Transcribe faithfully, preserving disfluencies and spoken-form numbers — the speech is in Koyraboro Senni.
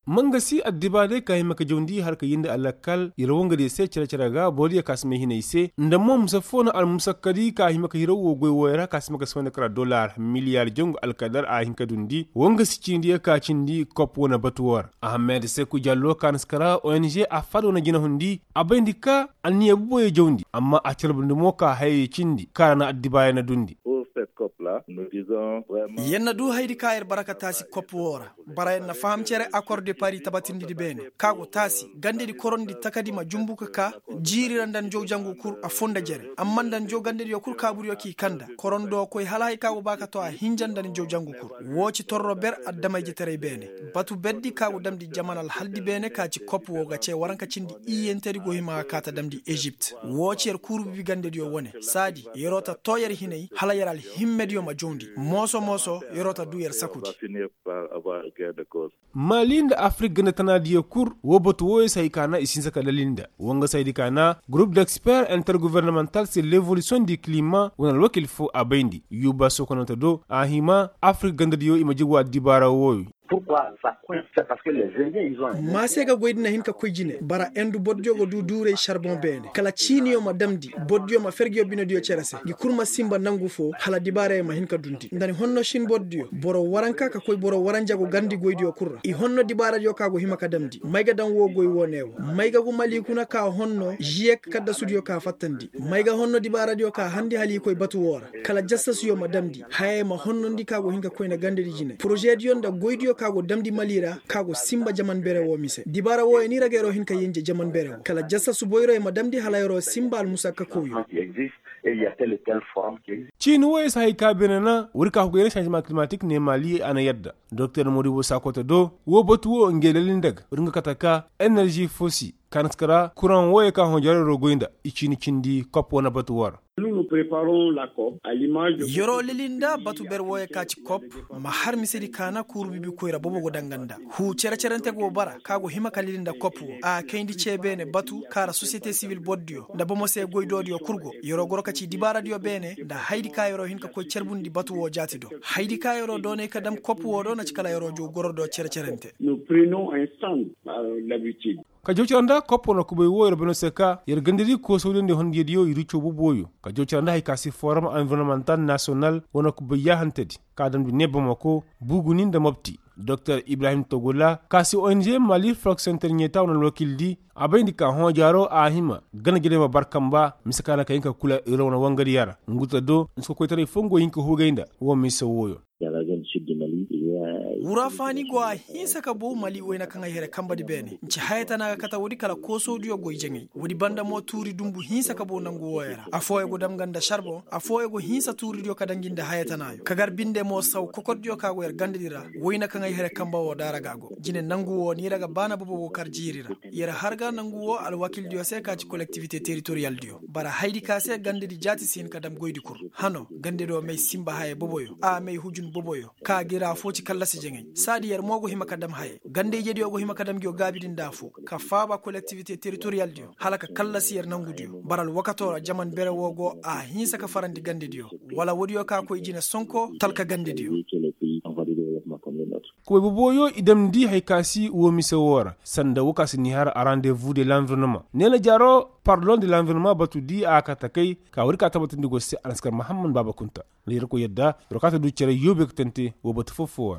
Mangasi addibaaray ka hima ka jawndi har ka yindi alakal yer wangadiyo se cere-cere ga borodiyo ka si may hinay se nda mo mise foo na almusakkadi ka hima ka hiraw woo goy wooyo ra ka si ma ka si wayna kara dollar miliyaar jangu alkadar a hin ka dundi wangasi ciinidiyo ka cindi kop wane batu woo ra. Ahamed seku jallo ka na si kara ong a faada wane jinahundi a bayndi ka anniya boboyo jawndi amma a carbundi mo ka hayey cindi ka ra na addibaaray na dundi. Yer na du hayadi ka yer bara ka taasi kop woo ra. Bara yer na faham cere akor de pari tabatindidi beene ka go taasi gandedi korondi takadi ma jumbu ka ka jiiri ra nda njow jangu kul a foo nda jere amma nda njow gandediyo kul kaabudiyo k'i kanda korondo koy hala haya ka go ba ka too a hinja nda njow jangu kul. Woo ci torro ber adama-ijetaray beene. Batu berdi ka go damndi jaman alhaldi beene ka ci kop woo ga cee waranka cindi iyyentedi go hima ga kaa ta damndi ezipt. Woo ci yer kuuru bibi gandediyo wane saadi yer'o ta too yer hinay hala yer alhimmediyo ma jawndi. Mooso-mooso yer'o ta duu yer sakudi. Mali nda afirik ganda tanaadiyo kul woo batu wooyo si hay ka na i si hinsa ka dalil nda woo nga si haydi ka na gurup d'eksper intergovernemantal se levolisiyoŋ di kilima wane alwakil foo a bayndi yuba sokononte do a hima afirik gandadiyo i ma jigwa dibaara wooyo. Ma se ga goydi na hin ka koy jine bara endu bordiyo ga du duuray sarboŋ beene kala ciiniyo ma damndi bordiyo ma fergeyo binediyo cere se ngi kul ma sinba nangu foo hala dibaarayo ma hin ka dundi nda ni honno sin bordiyo boro waranka ka koy boro waranja go garndi goydiyo kul ra i honno dibaaradiyo ka go hima ka damndi may ga daŋ woo goy woo ne wo may ga gu mali kuna ka honno žiyek kaddasudiyo ka fattandi may ga honno dibaaradiyo ka handi hala i koy batu woo ra kala jassasuyo ma damndi hayey ma honnondi ka go hin ka koyna gandedi jine porožediyo nda goydiyo ka go damndi mali ra ka go sinba jaman bere woo mise dibaara wooyo ni ra ga yer'o hin ka yenje jaman bere woo kala jassasu boyroyo ma damndi hala yer'o sinba almusakka kawyo. Ciini wooyo si hay ka beene na woodi ka hugu yer na sanzema kilimatik ne mali a na yadda doktor modibo sakoto do woo batu woo nge lalinda ga woodi nga kate ka enerži fosi ka na si kara kuraŋ wooyo ka hõ jaro yer'o goy nda i ciini cindi kop wane batu woo ra. Yer'o lilinda batu ber wooyo ka ci kop ma har misedi ka na kuuru bibi koyra bobo go danga nda huu cere-cerente go bara ka go hima ka lilinda kop woo a kayndi cee beene batu ka ra sosiyete sibil bordiyo nda bomo se goydoodiyo kul go yer'o goro ka ci dibaaradiyo beene nda hayadi ka yer'o hin ka koy carbundi batu woo jaati do hayadi ka yer'o doonay ka dam kop woo do na ci kala yer'o jow gorodiyo cere-cerente. Ka jaw cara nda koppo na kubay woo yer bano se ka yer gandadi koosawdiyo nda hondiyadiyo yer iccoo boboyo ka jaw cara nda hay ka si forum environnemental nasiyonal wane kubay yaahantedi ka damndi ne bamako buguni nda mopti doktor ibrahim togula ka si ong mali flok senter ɲeeta wane alwakildi a bayndi ka hõ jaaro a hima gana jirey ma bar kamba mise ka na ka hin ka kula yer wane wangadiyo ra ngu ta do nsi ka koytaray foo ngu go hin ka hugay nda woo mise wooyo. Wura faani go a hinsa ka bow mali wayna kaŋ ay here kambadi beene nci haya tana ga kate woodi kala koosodiyo goy jaŋay woodi banda mo tuuri dunbu hinsa ka bow nangu wooyo ra affooyo go dam nga nda sarboŋ affooyo go hinsa tuuridiyo ka danji nda haya tanaayo ka gar binde mo saw kokordiyo ka go yer gandadi ra wayna kaŋ ay here kamba woo daara ga go jine nangu woo ni ra ga baana bobo go kar jiiri ra yer har ga nangu woo alwakildiyo se ka ci kolektivite teritoriyaldiyo bara haydi ka se gandadi jaati si hin ka dam goydi kul hano gandadiyo may sinba haya boboyo a may hujun boboyo ka gi ra affoo ci kallasi jaŋay saadi yer mo go hima ka dam hayey ganda-ijediyo go hima ka dam ngiyo gaabidi nda affoo ka faaba kolektivite teritoriyaldiyo hala ka kallasi yer nangudiyo bara alwakatoo ra jaman bere woo go a hinsa ka farandi gandadiyo wala woodiyo ka koy jine sonko talka gandadiyo. Kubay boboyo i damndi hay ka si woo mise woo ra sanda woo ka si ni har a rendez-vous de l'environnement neena jaaro pardon de l'environnement batu di a ka takay ka woodi ka tabatindi go se a na si kar mahamman baaba kunta nda yerkoy yadda yerkoy ka ta du cere yoobe ka tante woo batu foo foo ra.